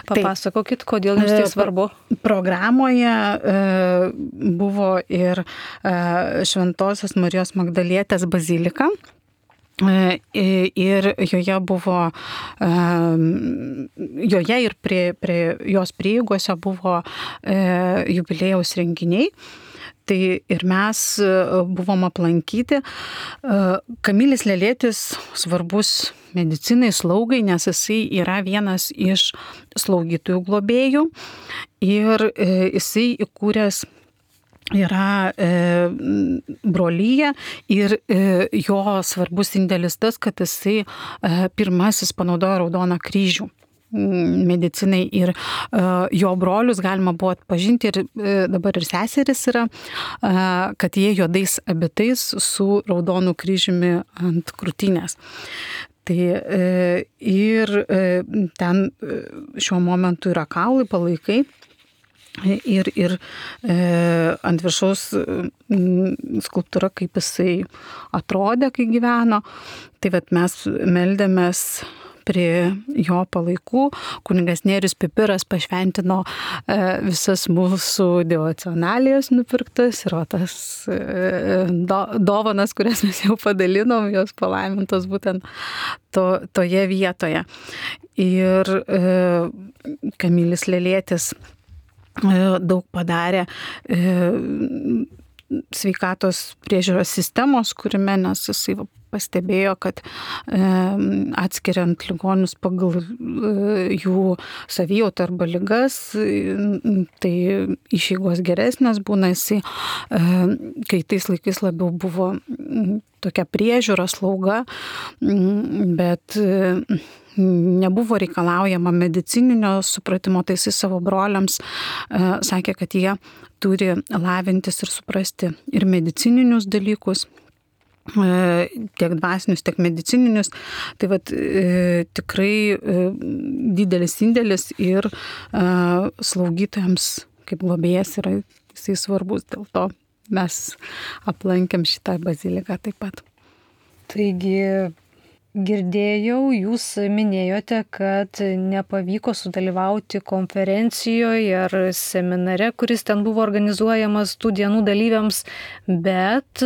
Papasakokit, kodėl jums tai svarbu. Programoje e, buvo ir e, Šventosios Marijos Magdalietės bazilika. E, ir joje buvo, e, joje ir prie, prie jos prieigose buvo e, jubiliejaus renginiai. Tai ir mes buvom aplankyti. Kamilis Lelėtis svarbus medicinai, slaugai, nes jisai yra vienas iš slaugytojų globėjų ir jisai įkūręs yra brolyje ir jo svarbus indėlis tas, kad jisai pirmasis panaudojo Raudoną kryžių medicinai ir uh, jo brolius galima buvo atpažinti ir uh, dabar ir seseris yra, uh, kad jie juodais abitais su Raudonu kryžiumi ant krūtinės. Tai uh, ir uh, ten uh, šiuo momentu yra kaulai, palaikai. Ir, ir e, ant viršaus skulptūra, kaip jisai atrodė, kai gyveno. Tai vat mes meldėmės prie jo palaikų kunigas Nėrius Pipiras pašventino visas mūsų devocionalijas nupirktas ir o tas do, dovanas, kurias mes jau padalinom, jos palaimintos būtent to, toje vietoje. Ir e, Kamilis Lėlėtis e, daug padarė e, sveikatos priežiūros sistemos kūrime, nes jisai pastebėjo, kad e, atskiriant ligonius pagal e, jų savijautą arba ligas, e, tai išeigos geresnės būna. Jisai, e, kai tais laikais labiau buvo m, tokia priežiūra, slauga, m, bet e, nebuvo reikalaujama medicininio supratimo, tai jisai savo broliams e, sakė, kad jie turi lavintis ir suprasti ir medicininius dalykus, tiek dvasinius, tiek medicininius. Tai vat, e, tikrai e, didelis indėlis ir e, slaugytojams kaip globėjas yra jisai svarbus, dėl to mes aplankėm šitą baziliką taip pat. Taigi, girdėjau, jūs minėjote, kad nepavyko sudalyvauti konferencijoje ar seminare, kuris ten buvo organizuojamas tų dienų dalyviams, bet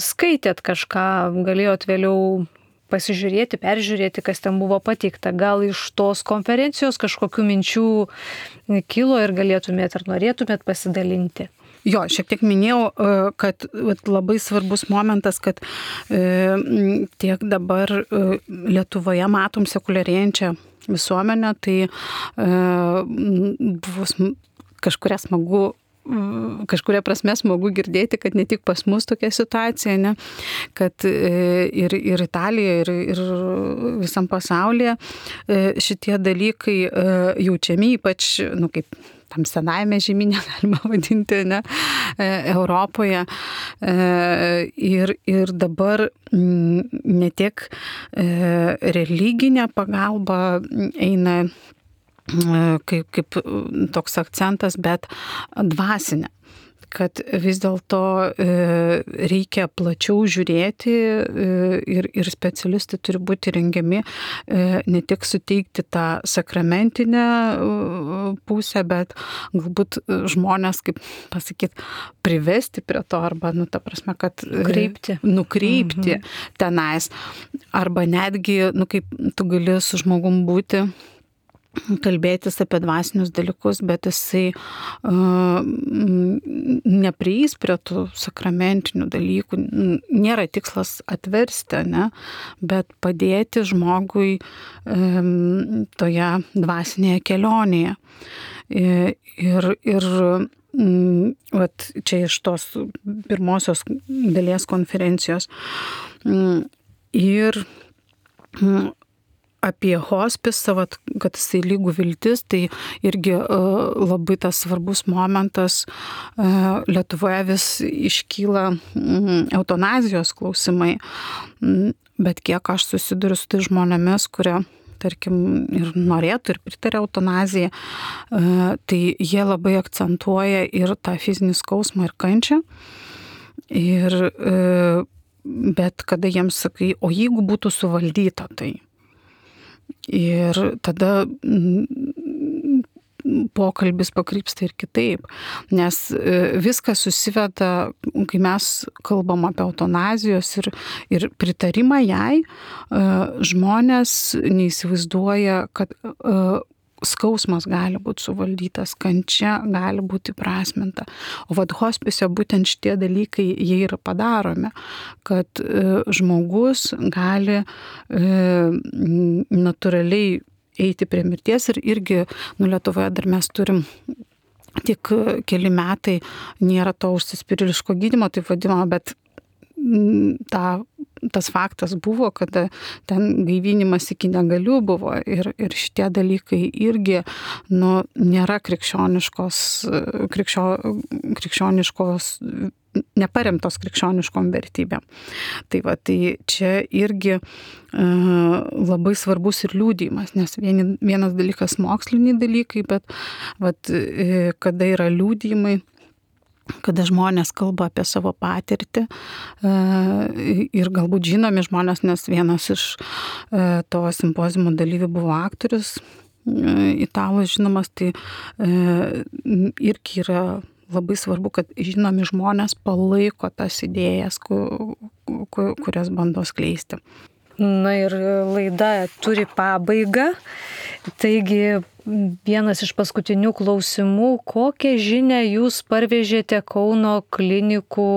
skaitėt kažką, galėjot vėliau pasižiūrėti, peržiūrėti, kas ten buvo pateikta. Gal iš tos konferencijos kažkokių minčių kilo ir galėtumėt ar norėtumėt pasidalinti? Jo, šiek tiek minėjau, kad labai svarbus momentas, kad tiek dabar Lietuvoje matom sekuliarėjančią visuomenę, tai buvo kažkuria smagu, kažkuria prasme smagu girdėti, kad ne tik pas mus tokia situacija, ne, kad ir, ir Italijoje, ir, ir visam pasaulyje šitie dalykai jaučiami, ypač, nu, kaip tam senajame žemyne galima vadinti, ne, Europoje. Ir, ir dabar ne tiek religinė pagalba eina kaip, kaip toks akcentas, bet dvasinė. Kad vis dėlto reikia plačiau žiūrėti ir, ir specialistai turi būti rengiami ne tik suteikti tą sakramentinę pusę, bet galbūt žmonės, kaip pasakyti, privesti prie to arba, nu, ta prasme, kad nukreipti, nukreipti mhm. tenais. Arba netgi, nu, kaip tu gali su žmogum būti, kalbėtis apie dvasinius dalykus, bet jisai uh, neprieis prie tų sakramentinių dalykų. Nėra tikslas atversti, ne? Bet padėti žmogui um, toje dvasinėje kelionėje. Ir, ir um, vat, čia iš tos pirmosios dalies konferencijos. Um, ir um, apie hospisą, kad jisai lygų viltis, tai irgi uh, labai tas svarbus momentas. Uh, Lietuvoje vis iškyla um, eutanazijos klausimai, um, bet kiek aš susiduriu su tai žmonėmis, kurie, tarkim, ir norėtų, ir pritarė eutanazijai, uh, tai jie labai akcentuoja ir tą fizinį skausmą ir kančią. Ir, uh, bet kada jiems sakai, o jeigu būtų suvaldyta tai, ir tada pokalbis pakrypsta ir kitaip, nes viskas susiveda, kai mes kalbam apie eutanazijos ir, ir pritarimą jai, žmonės neįsivaizduoja, kad skausmas gali būti suvaldytas, kančia gali būti įprasminta. O vad hospise būtent šitie dalykai jie yra padaromi, kad e, žmogus gali e, natūraliai eiti prie mirties ir irgi, nu, Lietuvoje dar mes turim tik keli metai, nėra to užsispyrėliško gydymo, taip vadinamo, bet ta, tas faktas buvo, kad ten gaivinimas iki negalių buvo ir, ir šitie dalykai irgi, nu, nėra krikščioniškos, krikščio, krikščioniškos, neparemtos krikščioniškom vertybėm. Tai va, tai čia irgi e, labai svarbus ir liudijimas, nes vieni, vienas dalykas moksliniai dalykai, bet vat, e, kada yra liudijimai, kada žmonės kalba apie savo patirtį ir galbūt žinomi žmonės, nes vienas iš to simpoziumo dalyvių buvo aktorius, italas žinomas, tai irgi yra labai svarbu, kad žinomi žmonės palaiko tas idėjas, kurias bando skleisti. Na ir laida turi pabaigą, taigi vienas iš paskutinių klausimų, kokią žinią jūs parvežėte Kauno klinikų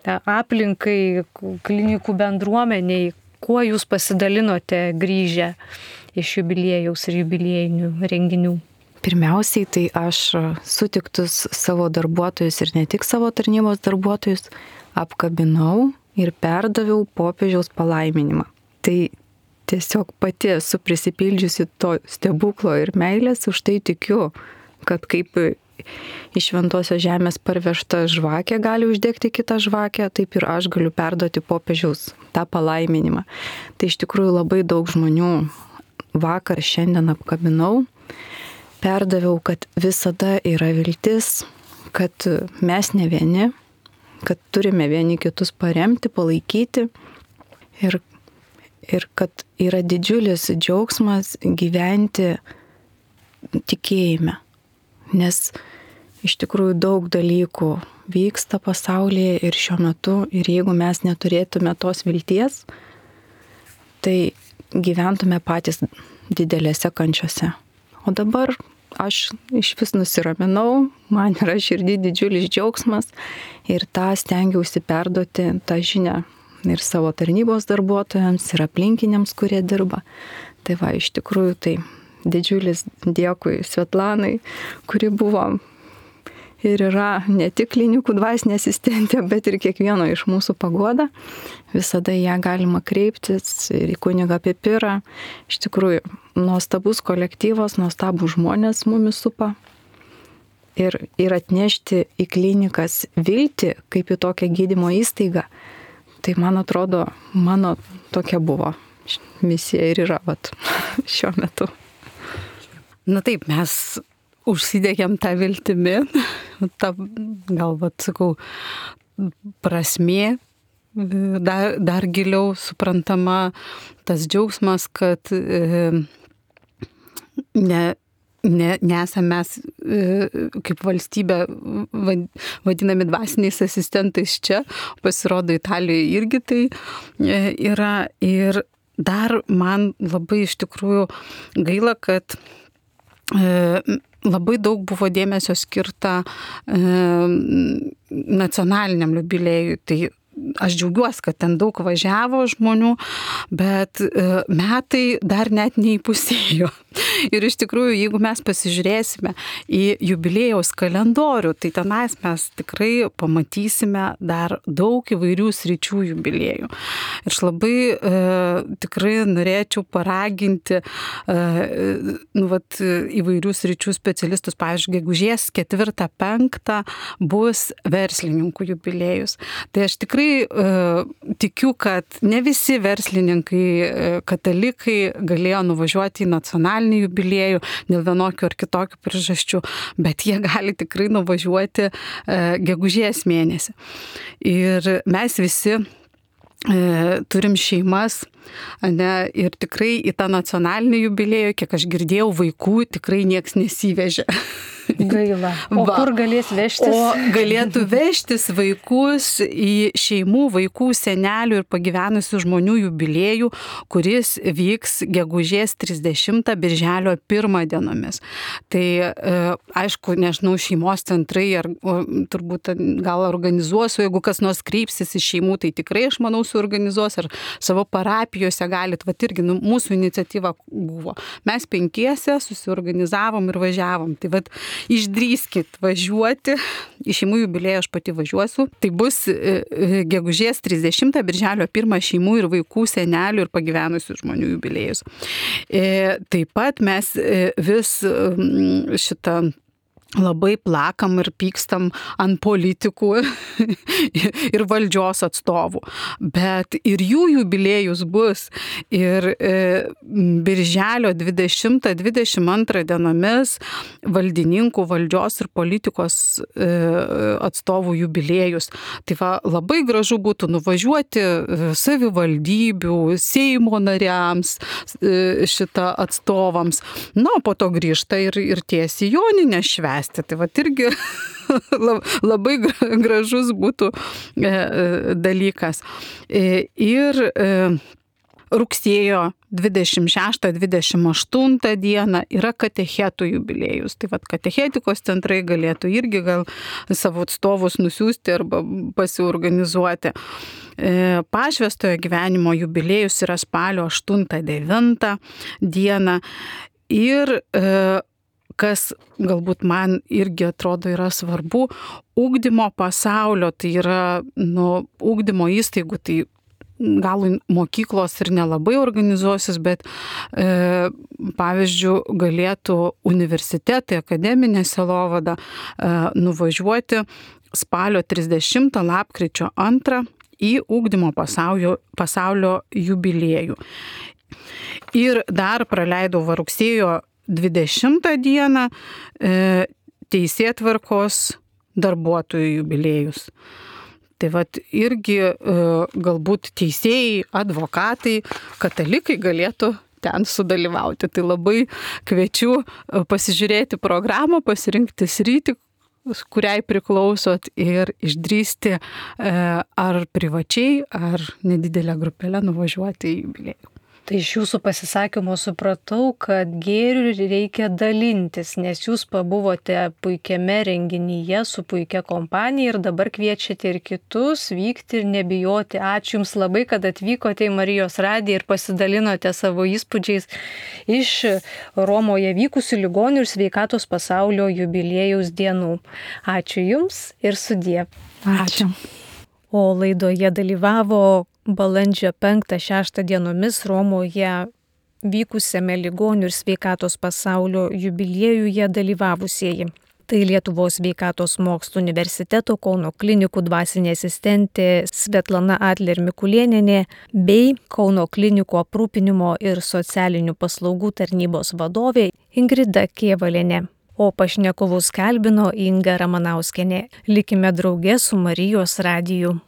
aplinkai, klinikų bendruomeniai, kuo jūs pasidalinote grįžę iš jubiliejaus ir jubiliejinių renginių? Pirmiausiai, tai aš sutiktus savo darbuotojus ir ne tik savo tarnybos darbuotojus apkabinau ir perdaviau popiežiaus palaiminimą. Tai tiesiog pati esu prisipildžiusi to stebuklo ir meilės, už tai tikiu, kad kaip iš šventosios žemės parvežta žvakė gali uždegti kitą žvakę, taip ir aš galiu perduoti popiežiaus tą palaiminimą. Tai iš tikrųjų labai daug žmonių vakar, šiandien apkabinau, perdaviau, kad visada yra viltis, kad mes ne vieni, kad turime vieni kitus paremti, palaikyti ir, ir kad yra didžiulis džiaugsmas gyventi tikėjime. Nes iš tikrųjų daug dalykų vyksta pasaulyje ir šiuo metu, ir jeigu mes neturėtume tos vilties, tai gyventume patys didelėse kančiose. O dabar aš iš vis nusiraminau, man yra širdį didžiulis džiaugsmas ir tą stengiausi perduoti tą žinią ir savo tarnybos darbuotojams, ir aplinkiniams, kurie dirba. Tai va, iš tikrųjų tai didžiulis dėkui Svetlanai, kuri buvo ir yra ne tik klinikų dvasinė asistentė, bet ir kiekvieno iš mūsų paguoda. Visada ją galima kreiptis ir į kunigą Pipirą. Iš tikrųjų, nuostabus kolektyvas, nuostabus žmonės mumis supa. Ir, ir atnešti į klinikas viltį, kaip į tokią gydymo įstaigą. Tai man atrodo, mano tokia buvo misija ir yra vat, šiuo metu. Na taip, mes užsidegėm tą viltimi, tą, gal, vat, sakau, prasmė, dar, dar giliau suprantama tas džiaugsmas, kad e, ne, ne, nesame mes e, kaip valstybė vadinami dvasiniais asistentais čia, pasirodo Italijoje irgi tai e, yra. Ir dar man labai iš tikrųjų gaila, kad e, labai daug buvo dėmesio skirta e, nacionaliniam jubiliejui. Tai aš džiaugiuosi, kad ten daug važiavo žmonių, bet e, metai dar net neįpusėjo. Ir iš tikrųjų, jeigu mes pasižiūrėsime į jubiliejaus kalendorių, tai tenais mes tikrai pamatysime dar daug įvairių sričių jubiliejų. Ir aš labai e, tikrai norėčiau paraginti e, nu, vat, įvairių sričių specialistus. Pavyzdžiui, gegužės ketvirtą penktą bus verslininkų jubiliejus. Tai aš tikrai e, tikiu, kad ne visi verslininkai, e, katalikai galėjo nuvažiuoti į nacionalinį jubiliejų dėl vienokių ar kitokių priežasčių, bet jie gali tikrai nuvažiuoti e, gegužės mėnesį. Ir mes visi e, turim šeimas, ne, ir tikrai į tą nacionalinį jubiliejų, kiek aš girdėjau, vaikų tikrai nieks nesivežė. Gaila. O Va. Kur galės vežtis? O galėtų vežtis vaikus į šeimų, vaikų, senelių ir pagyvenusių žmonių jubiliejų, kuris vyks gegužės trisdešimtą birželio pirmą dienomis. Tai e, aišku, nežinau, šeimos centrai ar o, turbūt gal organizuosiu, jeigu kas nors kreipsis į šeimų, tai tikrai aš manau suorganizuos ar savo parapijose galit, va irgi nu, mūsų iniciatyva buvo. Mes penkiese susiorganizavom ir važiavom. Tai va išdrįskit važiuoti, į šeimų jubiliejų aš pati važiuosiu. Tai bus gegužės trisdešimtą birželio pirmą šeimų ir vaikų, senelių ir pagyvenusių žmonių jubiliejus. Taip pat mes vis šitą labai plakam ir pykstam ant politikų ir valdžios atstovų. Bet ir jų jubiliejus bus. Ir e, birželio dvidešimtą dvidešimt antrą dienomis valdininkų, valdžios ir politikos e, atstovų jubiliejus. Tai va, labai gražu būtų nuvažiuoti savivaldybių, Seimo nariams, e, šitą atstovams. Na, po to grįžta ir, ir tiesiai Joninę švęsti. Tai va irgi labai gražus būtų dalykas. Ir rugsėjo dvidešimt šeštą dvidešimt aštuntą dieną yra katechetų jubiliejus. Tai va katechetikos centrai galėtų irgi gal savo atstovus nusiųsti arba pasiorganizuoti. Pašvęstojo gyvenimo jubiliejus yra spalio aštuntą devintą dieną. Ir kas galbūt man irgi atrodo yra svarbu, ugdymo pasaulio, tai yra nu, ugdymo įstaigų, tai gal mokyklos ir nelabai organizuosis, bet e, pavyzdžiui galėtų universitetai, akademinė sielovada e, nuvažiuoti spalio trisdešimtą lapkričio antrą į ugdymo pasaulio, pasaulio jubiliejų. Ir dar praleidau va rugsėjo dvidešimtą dieną e, teisėtvarkos darbuotojų jubiliejus. Tai vat irgi e, galbūt teisėjai, advokatai, katalikai galėtų ten sudalyvauti. Tai labai kviečiu pasižiūrėti programą, pasirinkti sritį, kuriai priklausot ir išdrįsti e, ar privačiai, ar nedidelę grupelę nuvažiuoti į jubiliejų. Tai iš jūsų pasisakymo supratau, kad gėriu reikia dalintis, nes jūs pabuvote puikiame renginyje su puikia kompanija ir dabar kviečiate ir kitus vykti ir nebijoti. Ačiū Jums labai, kad atvykote į Marijos radiją ir pasidalinote savo įspūdžiais iš Romoje vykusių ligonių ir sveikatos pasaulio jubiliejaus dienų. Ačiū Jums ir sudie. Ačiū. O laidoje dalyvavo balandžio penktą šeštą dienomis Romoje vykusiame ligonių ir sveikatos pasaulio jubiliejuje dalyvavusieji. Tai Lietuvos sveikatos mokslų universiteto Kauno klinikų dvasinė asistentė Svetlana Adler Mikulėnienė bei Kauno klinikų aprūpinimo ir socialinių paslaugų tarnybos vadovė Ingrida Kėvalienė. O pašnekovus kalbino Inga Ramanauskienė. Likime drauge su Marijos radiju.